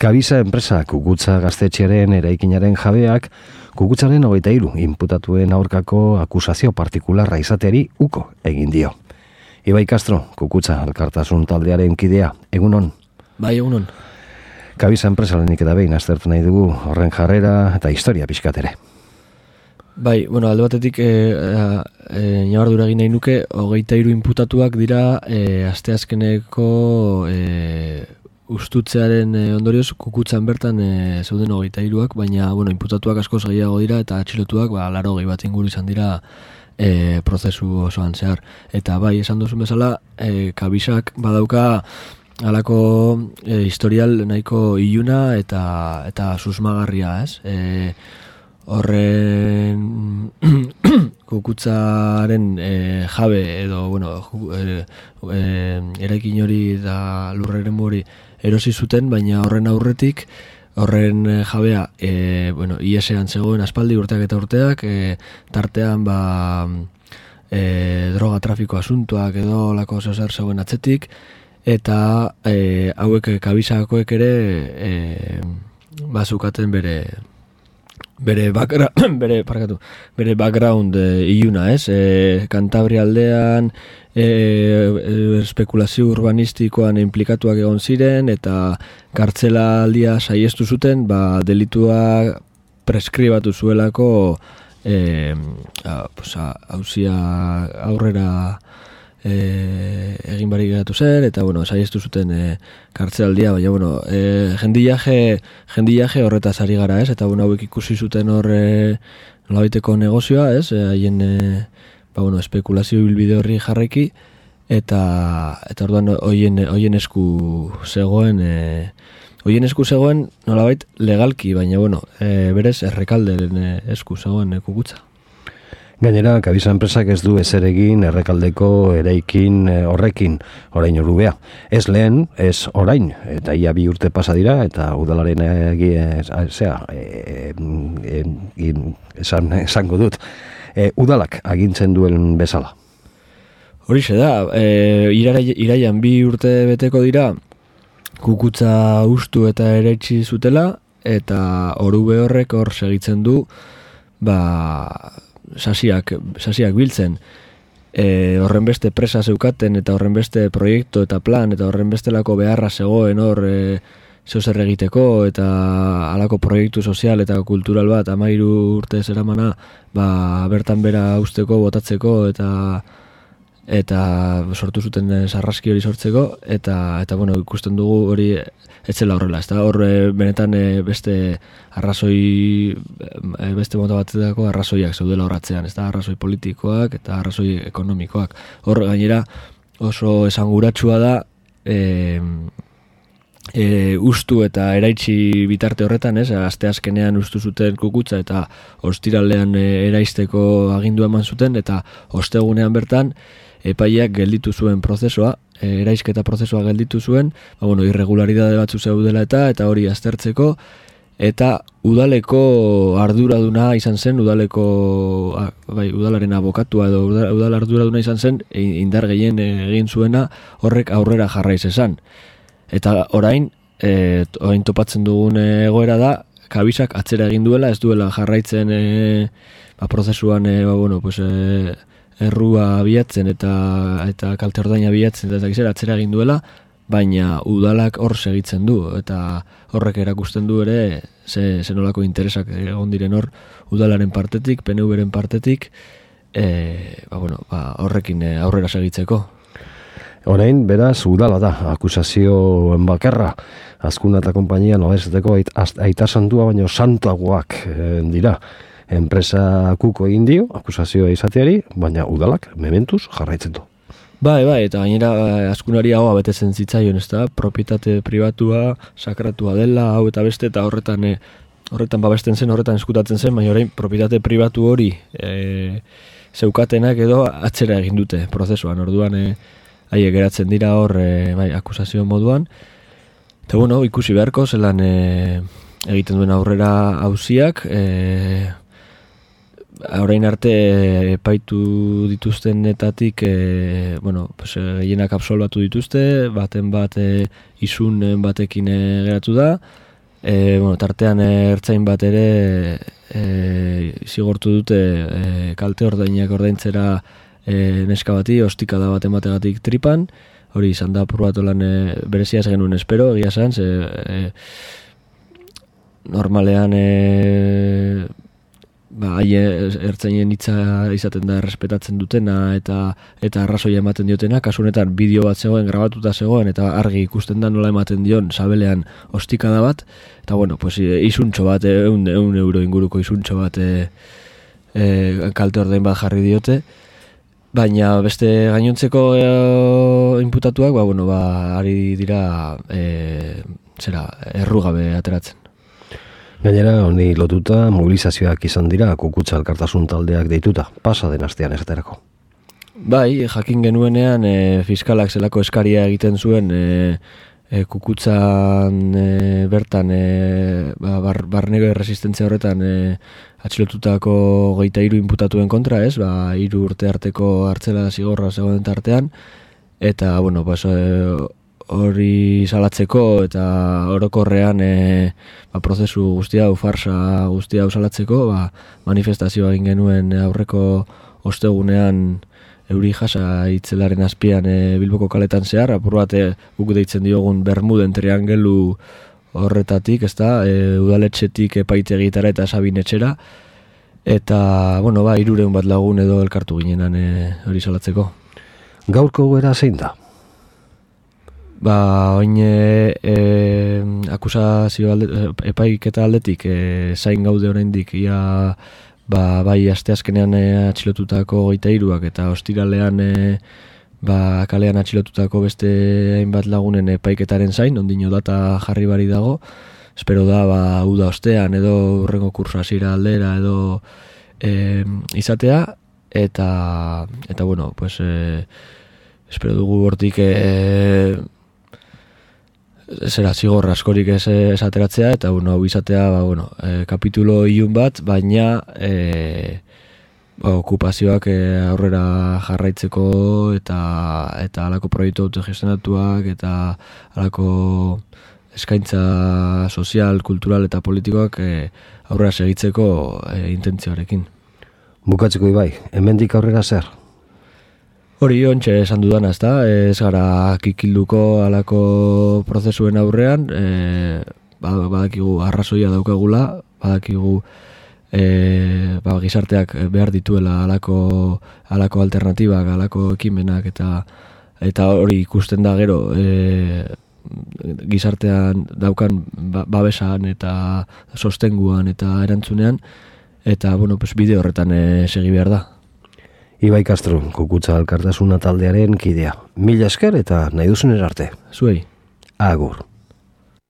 Kabisa enpresa Kukutza gaztetxearen eraikinaren jabeak Kukutzaren 23 inputatuen aurkako akusazio partikularra izateari uko egin dio. Ibai Castro, Kukutza elkartasun taldearen kidea, egunon? Bai, egunon. Kabisa enpresalenik eta behin aztertu nahi dugu horren jarrera eta historia pixkat ere. Bai, bueno, alde batetik ñabardura egin nahi nuke, 23 inputatuak dira asteazkeneko ustutzearen ondorioz Kukutzan bertan zeuden 23ak, baina bueno, inputatuak askoz gehiago dira eta atxilotuak 80 bat inguru izan dira prozesu osoan zehar. Eta bai, esan duzun bezala, Kabisak badauka halako historial nahiko iluna eta susmagarria, ez? Horren Kukutzaren jabe edo bueno, eraikin hori eta lurreren hori erosi zuten, baina horren aurretik horren jabea IES-ean zegoen aspaldi urteak eta urteak, tartean droga trafiko asuntoak edo lako zer zegoen atzetik, eta hauek Kabisakoek ere bazukaten bere background iluna, ez? Kantabria aldean espekulazio urbanistikoan implikatuak egon ziren eta kartzela aldia saiestu zuten, delitua preskribatu zuelako hauzia aurrera egin barik geratu zen, eta bueno, saiestu zuten kartzelaldia, baina bueno, jendiaje horretaz ari gara, ez? Eta bueno, hauek ikusi zuten hor nolabaiteko negozioa, ez? Haien espekulazio bilbide horri jarraiki, eta orduan hoien esku zegoen nolabait legalki, baina bueno, berez Errekalderen esku zegoen Kukutza. Gainera, Kabisa enpresak ez du ezer egin Errekaldeko eraikin horrekin orain orubea. Ez lehen, ez orain, eta ia 2 urte pasa dira, eta udalaren esango dut, udalak agintzen duen bezala. Horixe da, iraian 2 urte beteko dira, Kukutza ustu eta eraitsi zutela, eta orube horrek hor segitzen du, sasiak biltzen, horren beste presa zeukaten eta horren beste proiektu eta plan eta horren bestelako beharra zegoen hor zeuzer egiteko eta halako proiektu sozial eta kultural bat 13 urte zeramana bertan bera usteko, botatzeko eta sortu zuten sarraski hori sortzeko eta bueno, ikusten dugu hori etzela horrela, ez da? Hor benetan beste mota batetako arrazoiak zeudela horratzean, ez da? Arrazoi politikoak eta arrazoi ekonomikoak. Hor gainera oso esanguratsua da ustu eta eraitsi bitarte horretan, ez? Asteazkenean ustu zuten Kukutza eta ostiralean eraisteko agindua eman zuten, eta ostegunean bertan epaiak gelditu zuen prozesua, eraisketa prozesua gelditu zuen, irregularidade batzu zeudela eta hori aztertzeko, eta udaleko arduraduna izan zen, udalaren abokatua edo udal arduraduna izan zen, indar gehien egin zuena horrek aurrera jarraiz esan. Eta orain topatzen dugun egoera da, Kabisak atzera egin duela, ez duela jarraitzen prozesuan errua bilatzen eta kalte ordaina bilatzen eta atzera egin duela, baina udalak hor segitzen du, eta horrek erakusten du ere ze nolako interesak egon diren hor udalaren partetik, PNV-ren partetik, horrekin aurrera segitzeko. Orain, beraz, udala da, akusazioen bakarra, Azkuna eta konpainia nolezeteko aita santua, baina santuagoak dira. Enpresa kuko egin dio, akusazioa izateari, baina udalak mementuz jarraitzen du. Bai, eta gainera Azkunari hau betetzen zitzaion, ez da, propietate pribatua, sakratua dela, hau eta beste, eta horretan babesten zen, horretan eskutatzen zen, baina orain propietate pribatu hori zeukatenak edo atzera egin dute prozesuan, orduan haiek geratzen dira hor akusazio moduan, eta bueno, ikusi beharko zelan egiten duen aurrera auziak, orain arte epaitu dituztenetatik gehienak absolbatu dituzte, baten bat izunen batekin geratu da, tartean ertzain bat ere zigortu dute kalte ordainak ordaintzera neska bati, ostikada bat emategatik tripan, hori izan da apur bat lan bereziaz genuen espero, egia esan, normalean ertzainen hitza izaten da errespetatzen dutena eta arrazoia ematen diotena, kasu honetan bideo bat zegoen, grabatuta zegoen eta argi ikusten da nola ematen dion sabelean ostikada bat, eta bueno, pues isuntxo bat, 100 euro inguruko isuntxo bat kalte ordain bat jarri diote, baina beste gainontzeko inputatuak, ari dira errugabe ateratzen. Gainera, honi lotuta mobilizazioak izan dira Kukutza elkartasun taldeak deituta, pasa den astean esaterako. Bai, jakin genuenean fiskalak zelako eskaria egiten zuen Kukutzan bertan barnego resistentzia horretan atxilotutako 23 inputatuen kontra, 3 urte arteko hartzela zigorra zegoen tartean, eta, hori salatzeko eta orokorrean prozesu guztia hau, farsa guztia hau salatzeko, manifestazioa egin genuen aurreko ostegunean euri jasa itzelaren azpian Bilboko kaletan zehar, apur bat guk deitzen diogun Bermuden triangelu horretatik, udaletxetik epaitegitara eta sabinetxera, eta, 300 bat lagun edo elkartu ginenan hori salatzeko. Gaurko gera zein da? Oin akusazio epaiketa aldetik zain gaude oraindik ia bai asteazkenean atxilotutako 23ak eta ostiralean kalean atxilotutako beste hainbat lagunen epaiketaren zain, ondino data jarri bari dago, espero da uda ostean edo hurrengo kurso hasiera aldera edo izatea, eta espero dugu hortik zigor askorik ez ateratzea, eta hau izatea kapitulo ilun bat, baina okupazioak aurrera jarraitzeko eta halako proiektu autogestionatuak eta halako eskaintza sozial, kultural eta politikoak aurrera segitzeko intentzioarekin. Bukatzeko Ibai, hemendik aurrera zer? Hori ontxe esan dudana, ez gara kikilduko halako prozesuen aurrean, badakigu arrazoia daukagula, badakigu gizarteak behar dituela halako alternatibak, halako ekimenak, eta hori ikusten da gero gizartean daukan babesan eta sostenguan eta erantzunean, eta bide horretan segi behar da. Ibai Castro, Kukutza elkartasuna taldearen kidea. Mila esker eta nahi duzunen arte. Zuei. Agur.